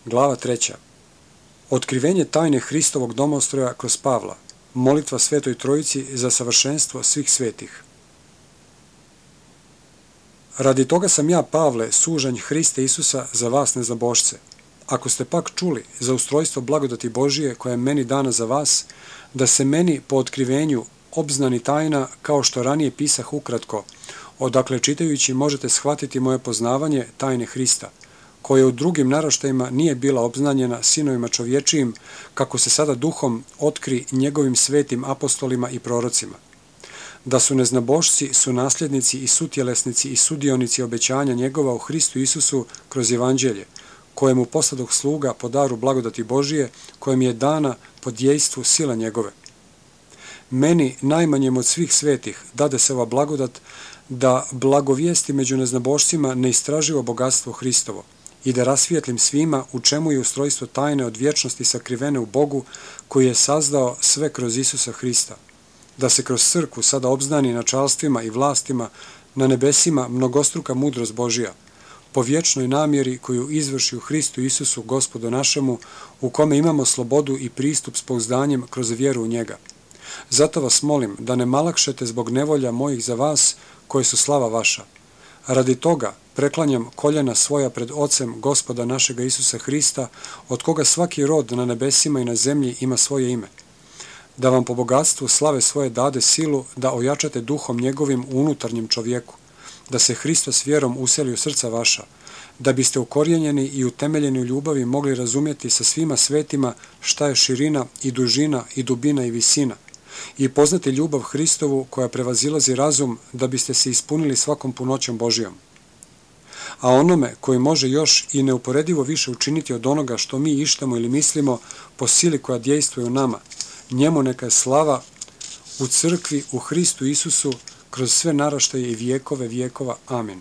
Glava 3. Otkrivenje tajne Hristovog domostroja kroz Pavla. Molitva Svetoj Trojici za savršenstvo svih svetih. Radi toga sam ja, Pavle, sužanj Hriste Isusa za vas neznabošce. Ako ste pak čuli za ustrojstvo blagodati Božije koja je meni dana za vas, da se meni po otkrivenju obznani tajna, kao što ranije pisah ukratko, odakle čitajući možete shvatiti moje poznavanje tajne Hrista, koje u drugim naraštajima nije bila obznanjena sinovima čovječijim, kako se sada duhom otkri njegovim svetim apostolima i prorocima. Da su neznabošci, su nasljednici i sutjelesnici i sudionici obećanja njegova u Hristu Isusu kroz evanđelje, kojemu posladoh sluga po daru blagodati Božije, kojem je dana po djejstvu sila njegove. Meni, najmanjem od svih svetih, dade se ova blagodat da blagovijesti među neznabošcima neistraživo bogatstvo Hristovo i da rasvijetlim svima u čemu je ustrojstvo tajne od vječnosti sakrivene u Bogu koji je sazdao sve kroz Isusa Hrista. Da se kroz crkvu sada obznani načalstvima i vlastima na nebesima mnogostruka mudrost Božija, po vječnoj namjeri koju izvrši u Hristu Isusu, Gospodu našemu, u kome imamo slobodu i pristup s pouzdanjem kroz vjeru u njega. Zato vas molim da ne malakšete zbog nevolja mojih za vas, koje su slava vaša. Radi toga preklanjam koljena svoja pred Ocem Gospoda našega Isusa Hrista, od koga svaki rod na nebesima i na zemlji ima svoje ime. Da vam po bogatstvu slave svoje dade silu da ojačate duhom njegovim u unutarnjem čovjeku, da se Hristos vjerom useli u srca vaša, da biste ukorijenjeni i utemeljeni u ljubavi mogli razumjeti sa svima svetima šta je širina i dužina i dubina i visina, i poznati ljubav Hristovu koja prevazilazi razum, da biste se ispunili svakom punoćom Božijom. A onome koji može još i neuporedivo više učiniti od onoga što mi ištamo ili mislimo po sili koja djejstvuje u nama, njemu neka je slava u crkvi u Hristu Isusu kroz sve naraštaje i vjekove vjekova. Amin.